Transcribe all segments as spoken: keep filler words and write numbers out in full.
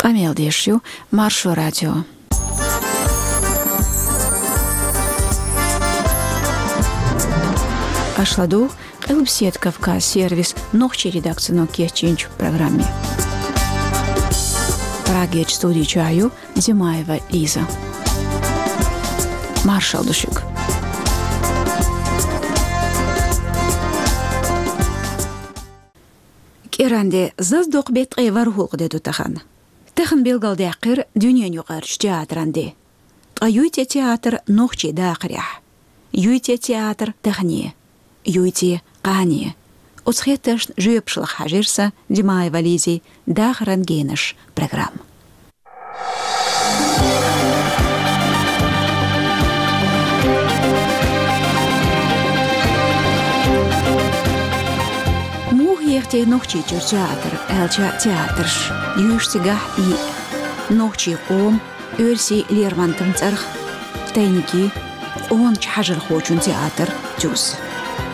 Къамел деш ю Маршо радио. Аша ладугӀу Къилбаседа Кавказ сервисан нохчийн редакцино кечйинчу программе. Прагерчу студи чохь ю Димаева Лиза. Маршалла ду шуьга. КӀиранде, зазадоккху беттан ткъе ворхӀалгӀа де ду тахана. Тахана билгалдаьккхира дуьненан юкъарчу театран де. Ткъа юй те театр нохчийн дахарехь? Юй те театр тахане? Юй те кхане? Оцу хеттаршна жоьпаш лаха хьаьжира сан, Димаева Лизин «Дахаран генаш» программа. Муха еха те Нохчийчуьра театр, аьлча театраш, юьйш цигахь и нохчийн къоман, оьрсийн Лермонтовн цӀарах, тайники, къоначу хьажархочун театр тюз.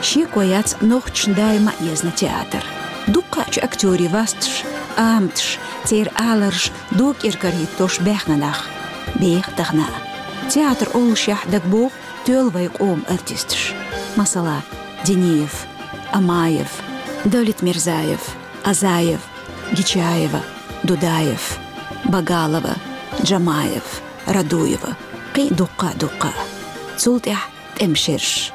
Шеко яц нохчашна даима а езна театр. Дуккхачу актёрийн васташ, аматаш, церан аларш дог кӀира карахӀиттош баьхна нах беха тахана а. Театр оллушехь дагабоху тоьлла вайн къоман артисташ. Масала, Диниев, Амаев, Давлетмирзаев, Азаев, Гичаева, Дудаев, Багалова, Джамаев, Радуева, кхин а дуккха а, дуккха а. Цул тӀаьхьа тӀеман шераш.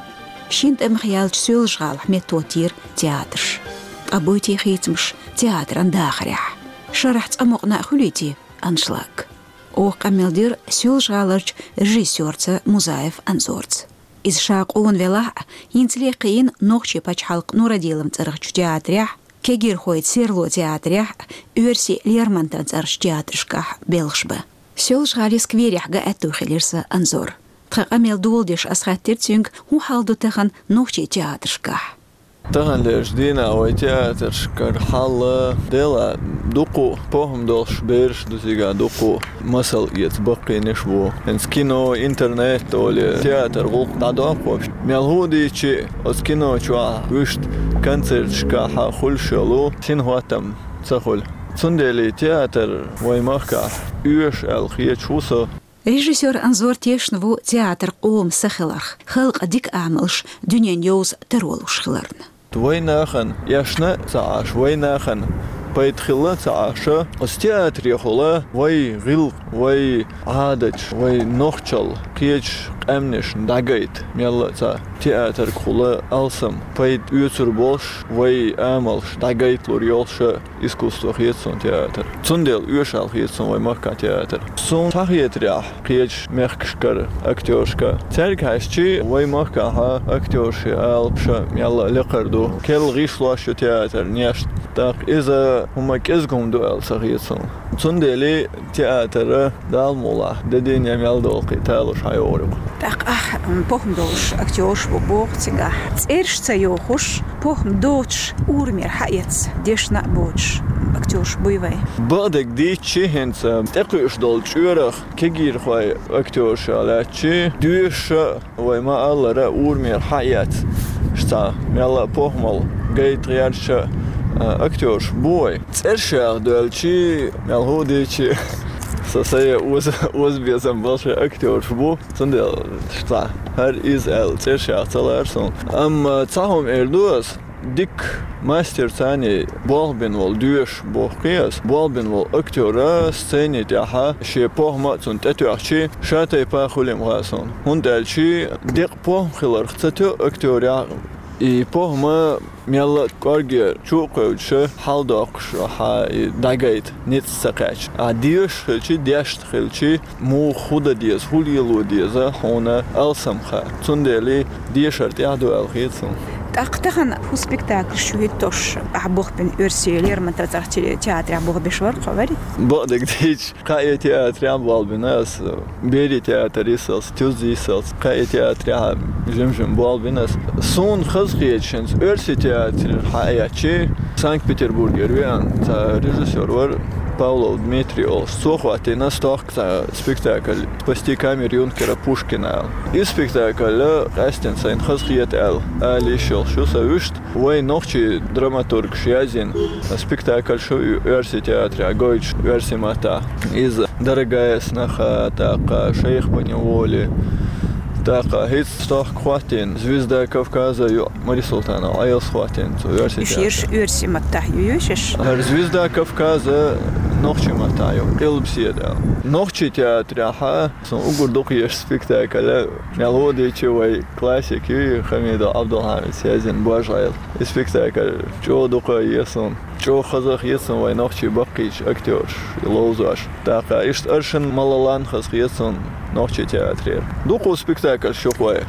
Шина тӀамах яьллачу Соьлжа-ГӀалахь меттахӀоттийра театраш. Ткъа буй те хийцамаш театран дахарехь? Шарахь цкъа мукъана а хуьлий те аншлаг? Оха къамел дира Соьлжа-ГӀаларчу режиссёрца Музаев Анзорца. Иза ша къона велахь а, хӀинца лекха йина нохчийн пачхьалкхан Нурадиловн цӀарахчу театрехь, кегийрхойн серло театрехь, оьрсийн Лермонтовн цӀарахчу театрашкахь белхаш бан. Соьлжа-ГӀалин скверехь ган аьтту хилира сан Анзор. Тхан къамел доладеш ас хаьттира цуьнга, хӀун хьал ду тахана нохчийн театрашкахь. Таханлерчу дийнахь вайн театрашкара хьал, делахь, дукха похӀма долуш бераш ду, цигахь дукха масал эца баккхийнаш бу. ХӀинца кино, интернет олий, театр гӀуллакх дӀадоккхуш. Мел хӀун дийцича а, оцу кино чохь вуьшта концерташкахь хуьлуш йолу синхӀоттам ца хуьлу. Цундела театр вайн махкахь оьшу аьлла хеташ ву со. Режиссёр Анзор тешна ву театр къоман са хиларх, халкъан дика амалш дуьненна йовза таро луш хиларна. Вайн нахана эшна а ца Ӏаш, вайн нахана пайда хилла а ца Ӏаш, оцу театрехула вайн гӀиллакх, вайн Ӏадаташ, вайн нохчалла кхечу къаьмнашна дӀагайта мелла а цхьа театргахула алсам пайда оьцур болуш, вайн амалш дӀагайталур йолуш а искусство хета суна театр. Цундела оьшу аьлла хета суна вайн махкахь театр. Суна схьахетарехь, кхечу мехкашкара актёршка, цаьрга хьаьжча, вайн махкахь актёршийн алапаш мелла а лекхар ду. Керла гӀишлош ю театран неш, тӀаккха иза хӀума кӀезиг хӀума ду аьлла ца хета суна. Цундела театр Дала мукъалахь, де дийне мел долу кхин талуш хьан йогӀур ю-кх. ТӀаккха ахь, м, похӀма долуш актёрш бу боху цигахь. ЦӀераш ца йохуш, похӀма доцуш, урамера хьаэцна, дешна а боцуш актёрш буй вай? Бакъдерг дийцича, хӀинца тӀекхуьуш долу чкъурах кегийрхойн актёршах лаьттачи, доьшуш а, вай ма-аллара, урамера хьаэцна, цхьа мелла а похӀмалла гайта гӀерташ а, а, актёрш бу вай. ЦӀераш яха доьлчи, мел хӀун дийцича, со сае оза-, озабезам болуш актёрш бу. Цундела цхьа хӀара иза аьлла цӀераш яха ца лаьара суна. Амма цхьа хӀума эр ду ас, дика мастер царний болх бина волу, доьшуш боху-кх ас, болх бина волу актёр сцени тӀехь шен похӀма а цунна тӀетоьхчи, ша тайпа хуьлу-м хаьа суна. ХӀунда аьлча декъа похӀма хиларх ца тоьу актёрехь, и похӀма мелла а кӀорге чу а кхевдаш, хьалдоккхуш хьан и дӀагайта ницкъ ца кхаьчна. Ахь доьшуш хилчи, дешна хилчи, муха хӀун дан деза, хӀун лело деза, хьуна алсам хаьа. Цундела дешар тӀехь ду аьлла хета суна. ТӀаккха тахана хӀун спектакльш ю хӀиттош, ахь болх бина оьрсийн Лермонтовн цӀарахчу театрехь болх беш вара-кх хьо, вари? Бакъдерг дийцича, кхаа театрехь болх бина ас, берийн театр йисалц, тюз йисалц, кхаа театрехь жим-жима болх бина ас. Суна хазахеташ, хӀинца оьрсийн театр хьаэцчи, Санкт-Петербургера веана цхьа режиссёр вара, Павлов Дмитрий олуш. Цо хӀоттийна стохка цхьа спектакль «Спасти камер юнкера Пушкина» аьлла. И спектакль къаьстина сайна хазахета аьлла, ала йиш йолуш ю сан вуьшта. Вайн нохчийн драматургаша язйина спектакльш ю оьрсийн театрехь гойтуш, оьрсийн маттахь. Иза «Дорогая сноха», тӀаккха «Шейх поневоле», тӀаккха хӀинца стохка хӀоттийна «Звезда Кавказа» ю, Мари Султанова Ӏелас хӀоттийна цо оьрсийн театрехь. Уьш ерш оьрсийн маттахь ю, ю уьш? ХӀара «Звезда Кавказа» нохчийн маттахь ю, къилбаседа аьлла. Нохчийн театрехь сан уггар дукха езаш спектакль, мел хӀун дийцича, вай классик ю, Хамидов Ӏабдулхьамида язйина «Божа Ӏела». И спектакль чӀогӀа дукха еза суна. ЧӀогӀа хазахета суна вайн нохчийн баккхийчу актёрша ловзош. ТӀаккха иштта аршин малалан хазахета суна нохчийн театрера. Дукха спектакльш ю-кх вайн.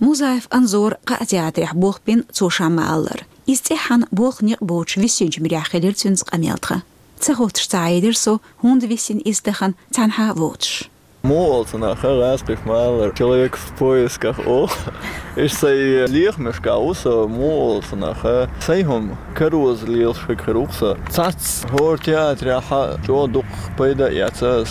Музаев Анзора кхаа театрехь болх бина, цо ша ма-аллара. Иза цӀеххьана болх некъ боцуш висинчу муьрехь хилира цуьнца къамел тхан. Ца хӀуттуш ца Ӏедира со, хӀунда висина иза тахана цхьанхьа а воцуш. Муха олу цунах, гӀазкхаша ма-аллара, человек в поисках олу. Иштта сайн лехамашкахь ву со, муха олу цунах, сайн хӀума кароза лелаш хӀума хир ву-кх сан. Цхьацца хӀора театрехь чӀогӀа дукха пайда а эцна ас.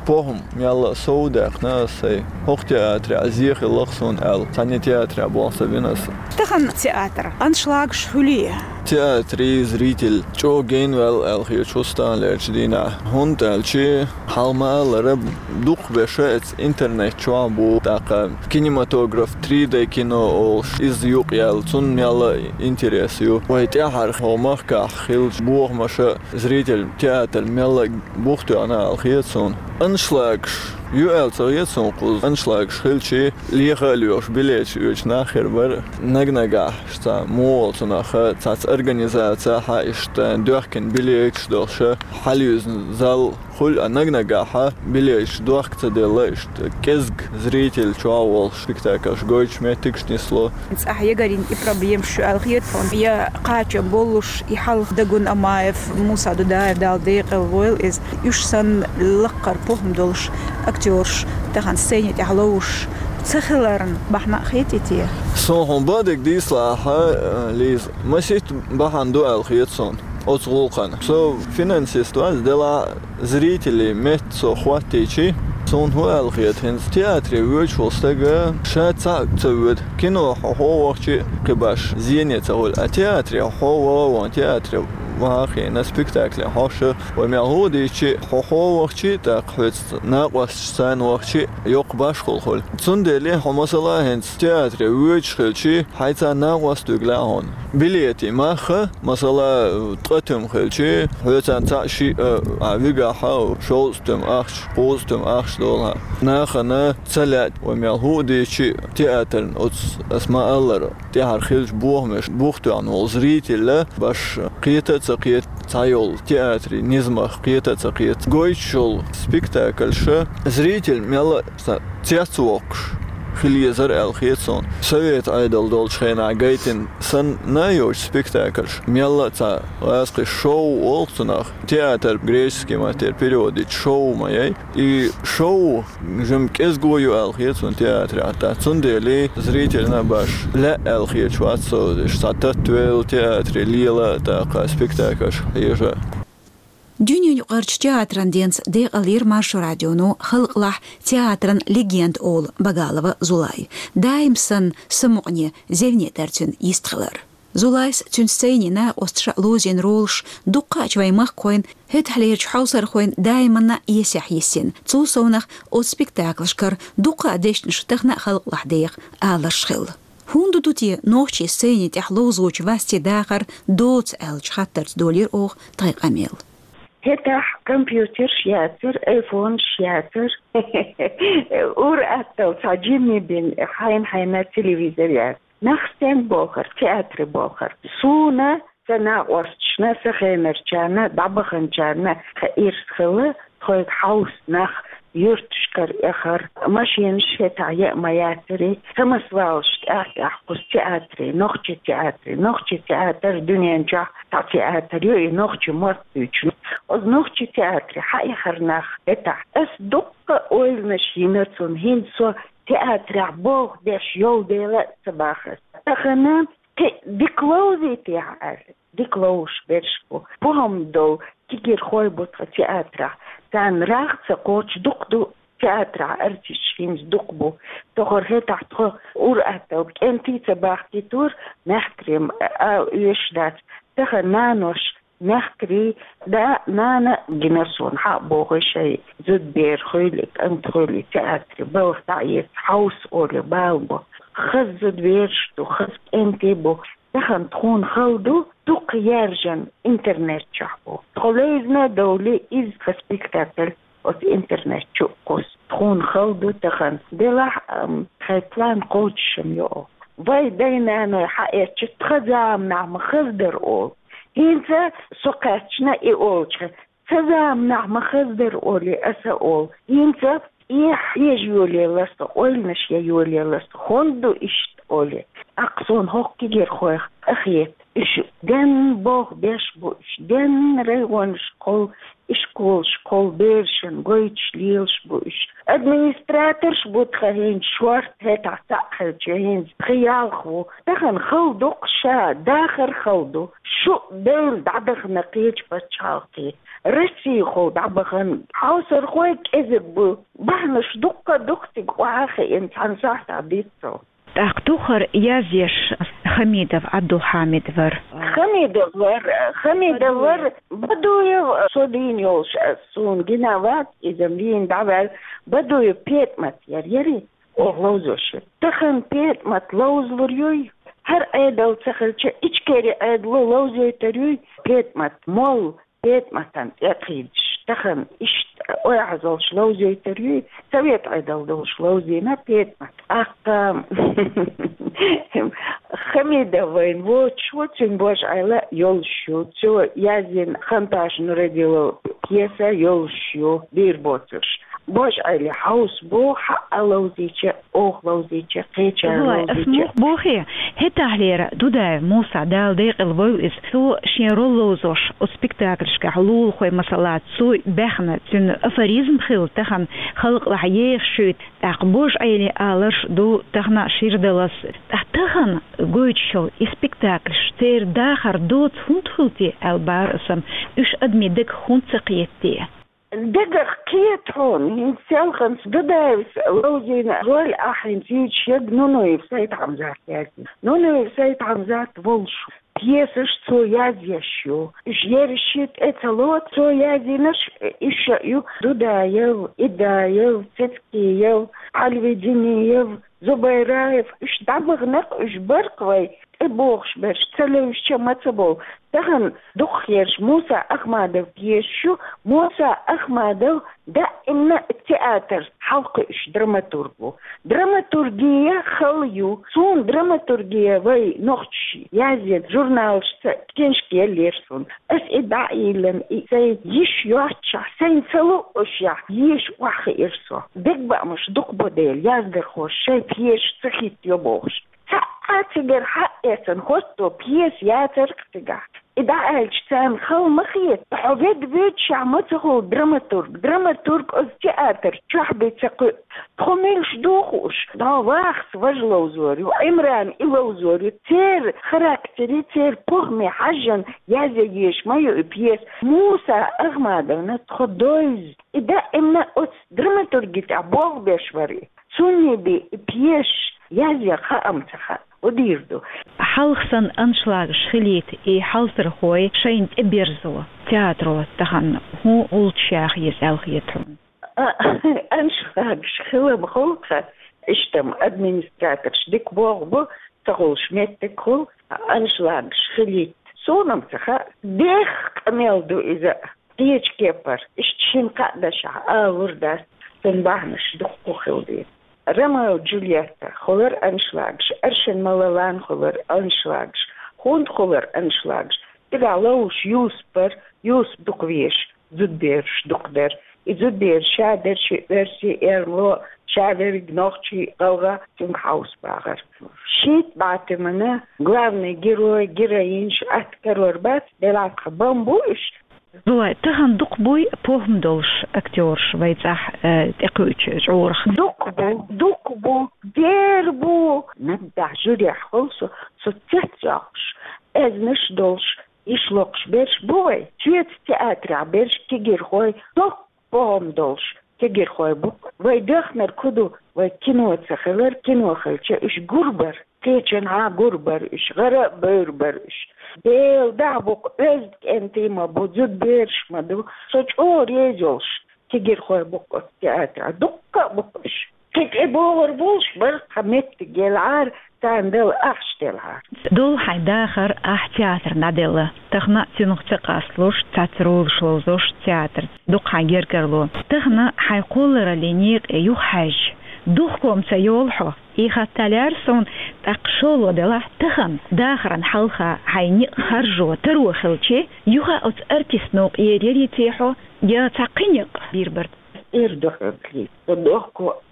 ПохӀма мелла а сов даьккхина ас сайн. ХӀокху театрехь зе хилла-кх суна аьлла, цхьанне театрехь болх ца бина ас. Тахана театр аншлагаш хуьлий? Театран зритель чӀогӀа генваьлла аьлла хеташ ву стагана лерчу дийнахь. ХӀунда аьлча, хьалха ма-аллара, дукхахберш оцу интернет чохь бу, тӀаккха кинематограф, три дэ кино олуш, иза юкъаяьлла, цунна мелла а интерес ю. Вайн тӀаьхьара хӀокху махкахь хиллачу бохамаша зритель театр мелла а бух тоьхна аьлла хета суна. Аншлагаш ю аьлла ца хета суна кхуза. Аншлагаш хилча, леха а лоьхуш билеташ оьцуш нах хир бара. Наг-нагахь цхьа муха олу цунах, цхьацца организацехь иштта доьхкина билеташ долуш, хьалаюьзна зал хуьлу, а наг-нагахь билеташ дохка ца делла, иштта кӀезиг зритель чохь волуш, спектакльш гойтуш меттигаш нисло. Цкъа ягарийн и проблемаш ю аьлла хета тхуна. Я кхачам боллуш, и хьалха Дагун Амаев, Муса Дудаев, Дала декъала войла иза. Уьш санна лаккхара похӀма долуш актёраш тахана сцени тӀехь ловзуш ца хиларна бахьана а хетий те? Суна хьуна бан дерг дийцалахь, Лиза, масийтта бахьана ду аьлла хета суна оцу гӀуллакхана. Со финансист вац, делахь а зрителийн метта со хӀоттийчи, суна хӀун аьлла хета, хӀинца театре воьдуш волу стага ша цхьаъ ца воьду. Кино хьо хьо вахчи а кхин баш зене ца хуьлу. А театре хьо ваха а вахана, театре ваха а хиъна, спектакле хьош а, вай мел хӀун дийцчи а, хьо хьо вахчи а, тӀаккха хьоьца накъосташ царна вахчи а, йоккха башхалла хуьлу. Цундела хьо, масала, хӀинца театре воьдуш хилчи, хьайца накъост вуьгу лаьа хьуна. Билетийн мах а, масала, ткъа туьма хилчи, хьоьца цхьаъ, шиъ а, а, вигахь а, шовзткъа туьма ахча, кхузткъа туьма ахча долахь. Нахана ца лаьа, вай мел хӀун дийцчи а, театрна оцу, ас ма-аллара, тӀаьхьара хиллачу бохамашна бух тоьхна волу зритель а баш кхета а ца кхета, цхьайолу театрийн низамах кхета а ца кхета. Гойтуш йолу спектакльша зритель мелла а цецвоккхуш хила езара аьлла хета суна. Совет Ӏедал долчу хенахь гайтина санна а йоцуш спектакльш, мелла а цхьа гӀазкхаша шоу олу-кх цунах, театр греческий маттера перевод йича шоу ма яй. И шоу жимма кӀезиго ю аьлла хета суна театрехь, тӀаккха цундела зрительна а баш лаьа аьлла хеташ вац со, иштта цхьа таттавелла театре лела а, тӀаккха спектакльш хьежа. Дуьненаюкъарчу театран денца декъалйира Маршо радионо халкъалахь театран легенда олу Багалова Зулай. Даим санна самукъане, зевне дара цуьнан йистхилар. Зулайс, цуьнан сценин накъосташа ловзийна ролаш дуккхачу вайн махкахойн, хӀетахьлерчу хьовсархойн даиманна а эсехь йисина. Цул совнах оцу спектаклашкара дуккха а дешнаш тахана а халкъалахь деха аларш хилла. ХӀунда ду те нохчийн сценин тӀехь ловзочу вастийн дахар доцу аьллачу хаттарца долийра оха тхайн къамел. ХӀетахь компьютерш яцара, айфонаш яцара. Ур аттал цхьа жимми бина хьайна-хьайна телевизор яцара. Нах стенга бохура, театре бохура. Суна, сан накъосташна, сан хенарчарна, дӀабаханчарна, тхан ирс хилла, тхоьга хьовса нах юьрташкара эхар, машинаш хӀетахь яа ма яцара, самосвалаш тӀаьхь-тӀаьхьа кхуза театре, нохчийн театре, нохчийн театр дуьнен чохь цхьа театр ю, и нохчийн мотт дуьйцу. Оцу нохчийн театре хьаэхара нах хӀетахь. Ас дуккха а ойланаш йина цунна, хӀинца со театрехь болх беш йолу дела а ца боху ас. Тахана кхин дика ловзуьйтехьа аьлла, дика ловзуш берш бу. ПохӀма долу кегийрхой бу тха театрахь. Царна рагӀ ца кхочу дукха ду театрахь артисташ, хӀинца дукха бу. Тохара хӀетахь тхо ур-атталла кӀентий ца бахкийтур, мехкарий ма а оьшуш дац. Тахана нанош, мехкарий, да, нана гина суна, хьа а бохуй, шайн зудабер хуьлий, кӀант хуьлий, театре балха дӀа а эца, хьовса олий, бала бо. Хаза зудабераш ду, хаза кӀентий бу. Тахана тхуна хала ду, дукха яьржина интернет чохь бу. Тхо левзина а довлий, иза тхан спектакль оцу интернет чу а кхуссу. Тхуна хала ду тахана. Делахь а, ам, тхайн план кхочушам йо оха. Вай дай-наной хьаэцча, тхан заманахь ма хаза дара олу. ХӀинца со кхаьчна и олучу, цу заманахь ма хаза дара олий, аса олу. ХӀинца и хьежа йолаелла аса, ойланаш ян йолаелла аса, хӀунда ду иштта олий. ТӀаккха суна хӀокху кегийрхойх къахета. Уьш ден болх беш бу, уьш ден районашкахула, ишколашкахула берашна гойтуш лелаш бу уьш. Администраторш бу тхан хӀинца шорта, хӀетахь цхьаъ хилча, хӀинца тхан ялх ву. Тахана хала ду-кх ша, дахар хала ду. Шу а девлла дӀадахана кхечу пачхьалкхе. Россехула дӀабахана хьовсархой кӀезиг бу. Бахьанаш дуккха а ду-кх цига охьа а хиъна, цхьана сахьтехь диццалц. ТӀаккха тохара язъеш Хамидов Ӏабдулхьамид вара. Хамидов вара, Хамидов вара, Бадуев, со дийна йолуш, суна гина вац, иза вийна дӀаваьлла, Бадуев ПетӀамат яра, яри, оха ловзош яра. Тахана ПетӀамат ловзалур юй, хӀара Ӏедал ца хилча, Ичкери Ӏедало ловзойтур юй, ПетӀамат молла, ПетӀаматан тӀе а кхийдаш, тахана иштта ойхьазалш ловзойтур юй, совет Ӏедал долуш ловзийна ПетӀамат. ТӀаккха Хамидов вайн воцуш ву, цуьнан божа Ӏела йолуш ю. Цо язйина Ханташ Нурадилов пьеса йолуш ю, дийр боцурш. Божа Ӏели хьовса бу, хьаъа ловзийча, оха ловзийча, кхечара ловзийча. Ас муха бохий, хӀетахьлера Дудаев Муса, Дала декъала войла иза, цо шен роль ловзош оцу спектакльшкахь лулахой, масала, цо баьхна, цуьнан афоризм хилла тахана, халкъалахь еха шуьйта, тӀаккха Божа Ӏели аларш ду тахана шира даллалц. Ткъа тахана гойтуш йолу и спектакльш, церан дахар доца хӀунда хуьлу те аьлла бахара аса, уьш адамийн дагах хӀунда ца кхета те? Дагах кхета хьуна, хӀинца селханца Дудаевс ловзийна роль ахь хӀинца юьйцуш ерг Нунуев Сайд-Хьамзат яздина. Нунуев Сайд-Хьамзат волуш, пьесаш цо язъеш ю. Уьш ерриш шиъ тӀе ца лоцу, цо язйинарш уьш а ю: Дудаев, Идаев, Цецкиев, Альвединиев, Зубайраев, уьш дӀабахана-кх, уьш бара-кх вай, тӀебогӀуш берш ца левзча ма ца болу. Тахана дукхахьерш Муса Ахмадов пьесаш ю, Муса Ахмадов даимна театр хьалакхуьуш драматург ву. Драматургия хала ю. Суна драматургия вай нохчаша язйина журналашца книжка еллера суна. Ас и дӀа а йиллина, и сайн йиш йоццушехь, сайна ца луъушехь, еша охьахиира со. Дегабаамаш дукха бо дела, яздархоша шайн пьесаш ца хӀиттайо бохуш. Цхьа а цигара хьаэцна хӀотто пьеса яцара-кх цигахь. И дӀааьлча царна хала ма хета. Хьо ведда вуьйцушехь ма ца хуьлу драматург. Драматург оцу театр чохь бен ца кхуьу. Тхо муьлш ду хууш? ДӀо Вахас важа ловзор ю, Ӏимран и ловзор ю. Церан характере, церан похӀме хьаьжжина язъян езаш ма ю и пьеса. Муса Ахмадовна тхо довза. И даимна оцу драматурги тӀехь болх беш вара и. Цунна бен и пьесаш язъян хаам ца хаьа. Удийр ду. Хьалха санна аншлагаш хилийта и хьалсархой шайна тӀеберзо театро тахана хӀун гӀулч яха еза аьлла хета хьуна? А, аншлагаш хила ма хуьлу-кх, иштта-м администраторш дика боху бу, ца хуьлуш меттиг хуьлу, аншлагаш хилийта. Суна-м ца хаьа, дехха къамел ду иза. Кхечу кепара, иштта шина-кхаа дашехь ала лур дац, цуьнан бахьанаш дуккха хила деза. Ромео Джульетта хилар аншлагаш, Аршин Малалан хилар аншлагаш. ХӀунда хилар аншлагаш? Цигахь ловзуш Юсуп вара, Юсуп дукха везаш, зудабераш дукха дара. И зудабераш ша дара шиъ оьрсийн, эрмало, ша верриг нохчий, гӀалгӀа, цуьнга хьовса бахара. Шийтта БӀатимана главный герой, героинаш атта карор бац, делахь тхан бан бу уьш. Зулай, тахана дукха буй похӀма долуш актёраш вай цӀахь, э, тӀекхуьучу чкъурах? Дукха бу, дукха бу, дера бу. Наггахь жюрехь хуьлу со, со цецваьккхуш, аьзнаш долуш, Иш локхуш берш бу вай, шуьца театрехь берш кегийрхой, доккха бохам долуш кегийрхой бу. Вай дехнарг хӀун ду, вай кино ца хилар, кино хилча уьш гур бара, кхечанхьа гур бара уьш, гӀара а бевр бара уьш. Делан дуьхьа бу-кх, оьзда кӀентий ма бу, зуда бераш ма ду. Со чӀогӀа реза йолуш кегийрхой бу-кх оцу театрехь, дуккха а бу-кх уьш. Кхин тӀе богӀур болуш бара, тхан меттиг елахьара, царна дала ахча делахьара. Долу хьайн дахар ахь театрна дӀаделла. Тахана а цунах ца къасталуш, цхьацца ролаш ловзош театр дукха хьайн гергарло. Тахана хьайн кхоллараллин некъе юхахьаьжча, духком ца йолу хьо? И хаттар лаьара суна, тӀаккха шолгӀа делахь, тахана дахаран хьалха хьайн некъ харжо таро хилча, юха а оцу артистано кхеръярий те хьо, я цхьа кхин некъ бийр бара? Эр ду хьоьга, Лиза, со дохко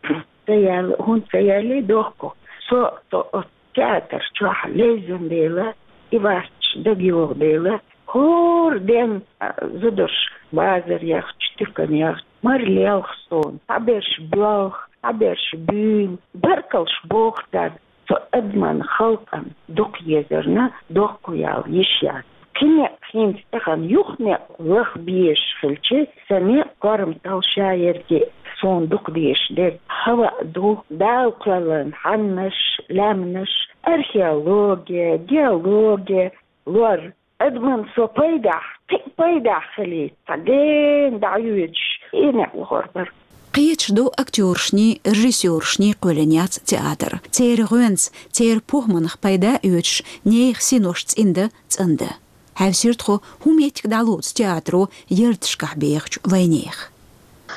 ца яьлла, хӀунда ца яьллий дохко. Со, со оцу театр чохь левзина дела, и вац дагайогӀу дела, хӀора ден, а, зударша базар яхча, туькан яхча, мара лелха суна, цхьаберш боьлху, цхьаберш буьйлу, баркаллаш боху царна. Со адаман халкъана дукха езарна, дохко яла йиш яц. Кхин некъ хӀинца тахана юха некъ лаха безаш хилча, сан некъ корматалла ша ерриге а суна дукха дезаш дерг хӀаваъ ду, Дала кхоьллина хьаннаш, лаьмнаш, археологи, геологи, лор. Адаман со пайдехь, кхин а пайдехь хилийта, цхьа гена дӀайоьдуш, и некъ лахор бара. Кхеташ ду, актёрашний, режиссёрашний кхоьллина яц театр. Церан гӀоьнца, церан похӀманах пайда а оьцуш, нехан синош цӀиндан, цӀандан. Хьаьвсира тхо хӀун меттиг дӀалоцу театро ярташкахь бехачу вайнехан.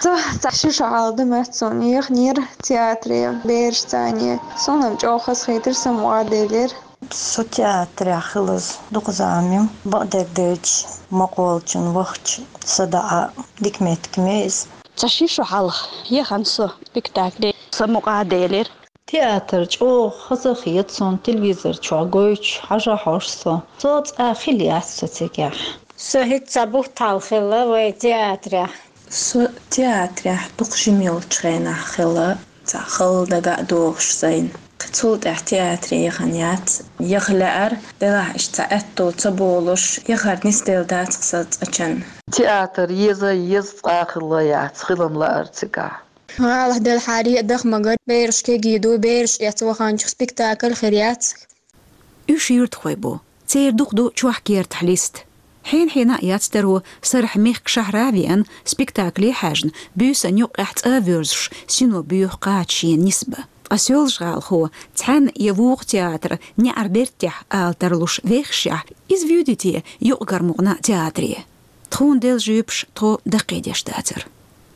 Цхьа, цхьа ши шо хьалха дан моьтту суна, яханера театре бераш цхьаьна. Суна-м чӀогӀа хазахетира, сан мукъа а делира. Со театрехь хилаза дукха зама ю, бакъдерг девзаш, ма кхоллачунна вахча, са даа дика меттиг ма ю иза. Цхьа ши шо хьалха яхана со спектакле, сан мукъа а делира. Театр чӀогӀа хазахета суна, телевизор чохь гойтуш хьажа хьожу со. Со цкъа хила яц со цигахь. Со хӀинца цхьа бутт хьалха хилла вай театрехь. Со театрехь дукха жима йолчу хенахь хилла, цхьа хала дага а догӀуш сайна. Кхин цул тӀаьхьа театре яхана яц. Яха лаьара, делахь иштта цхьа аьтто ца болуш, яхар нисделла дац-кх сан цкъачунна. Театр еза, еза цкъа а хилла яц, хилам лаьара цигахь. ГӀалахь делахьара а даха магар, бераш кегий ду, бераш эцна ваханчух спектакль хир яц. Уьш юьртахой бу. Церан дукха ду чохь кертахь листа. Хьенан-хьенан а яц таро, сарахь мехкан шахьара а веана, спектакле а хьаьжна, буьйсанна юккъехь цӀа а воьрзуш, сино боьху кхача шена нисбан. Ткъа Соьлжа-ГӀалахо цхьаьна я вукху театр неӀаран бертехь ала тарлуш вехашехь, иза вуьйди те юкъ-кара мукъана а театре? Тхуна делла жоьпаш тхо даккхийдеш дацара.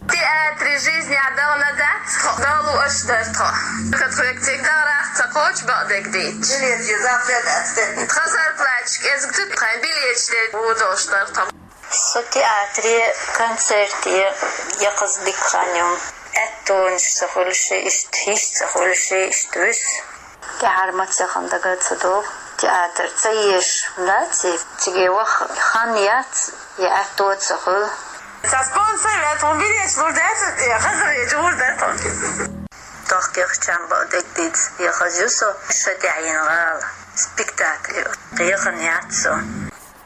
Театре жизнь а дала дац тхо, Дала лууш дара тхо. Кхин тхоьга цига дахарехь ца кхочу бакъдерг дийцча. Билеташ запрет ацтен. Тхан зарплаташ кӀезиг ду, тхайн билеташ де ву долуш дара тхо. Со театре, концерте яккхаза дика хан ю. Аьттонаш ца хуьлуш, иштта йиш ца хуьлуш, иштта вуьсу. ТӀаьхьара маца яхана дага ца догӀу, театр ца езаш дац и, цига ваха хан яц, я аьтто ца хуьлу. Сан спонсор ваьлла, тхуна билеташ лур дац, я хаза ваьлла, лур дац тхуна. Тохкехчан бакъдерг дийца, я хаза ю со, ша тӀаьхьа йина гӀала, спектакль, яхана яц со.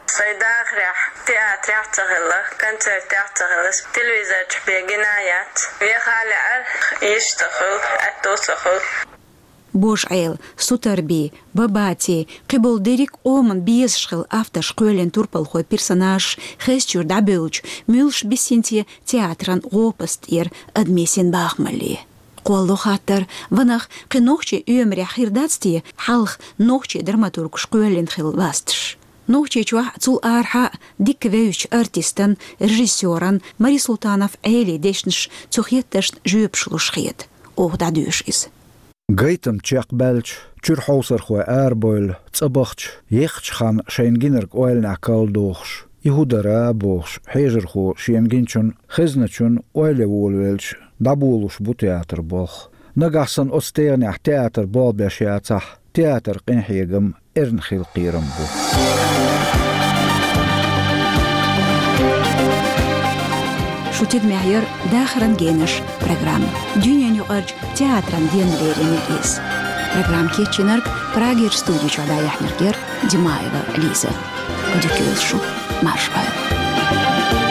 Сайн дахарехь, театрехь а ца хилла, концертехь а ца хилла, телевизор чу бен гина а яц. Веха а лаьара, йиш ца хуьлу, аьтто ца хуьлу. Божа-Ӏела, Сутарби, Бабати, кхиболу дерриг а къоман безаш хилла авторш кхоьллина турпалхой персонажаш хезачуьра дӀабевлча, муьлш биссинце театран гӀопаст тӀера адамийн синбахамалле. Кхолло хаттар, ванах, кхин нохчийн оьмарехь хир дац те хьалха нохчийн драматургаш кхоьллина хилла ласташ? Нохчийчохь, цул арахьа а дика вевзачу артистан, режиссёран Мари Султанов Ӏелин дешнаш цу хеттаршна жоьпаш луш хета. Оха дӀадоьшу иза. Гайтам чекхбаьлча, чуьра хьовсархой арабевлла, цӀа бахча, еххачу ханна шайна гинарг ойланехь калдохуш, и хӀун дара бохуш, хьежархо шена гиначун, хезначун ойла ян волавелча, дӀаболуш бу театр болх. Нагахь санна оцу тегӀанехь театр болх беш яцахь, театр къинхьегам эрна хила кхерам бу. Шу тидамехь яра «Дахаран генаш» программа. Дуьненаюкъарчу театран денна лерина иза. Программа кечйинарг, Прагерчу студи чохь дӀаяьхьнарг яра Димаева Лиза. Go dtí gcuimhneachadh mar sin.